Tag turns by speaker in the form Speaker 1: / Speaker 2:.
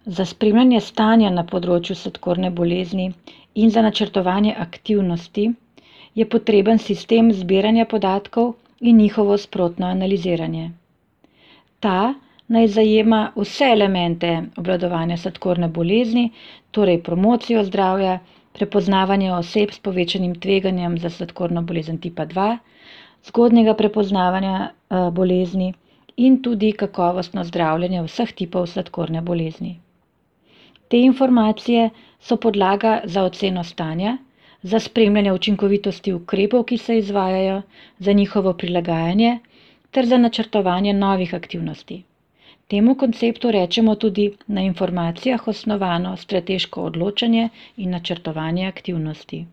Speaker 1: Za spremljanje stanja na področju sladkorne bolezni in za načrtovanje aktivnosti je potreben sistem zbiranja podatkov in njihovo sprotno analiziranje. Ta naj zajema vse elemente obvladovanja sladkorne bolezni, torej promocijo zdravja, prepoznavanje oseb s povečanim tveganjem za sladkorno bolezen tipa 2, zgodnjega prepoznavanja bolezni in tudi kakovostno zdravljenje vseh tipov sladkorne bolezni. Te informacije so podlaga za oceno stanja, za spremljanje učinkovitosti ukrepov, ki se izvajajo, za njihovo prilagajanje ter za načrtovanje novih aktivnosti. Temu konceptu rečemo tudi na informacijah osnovano strateško odločanje in načrtovanje aktivnosti.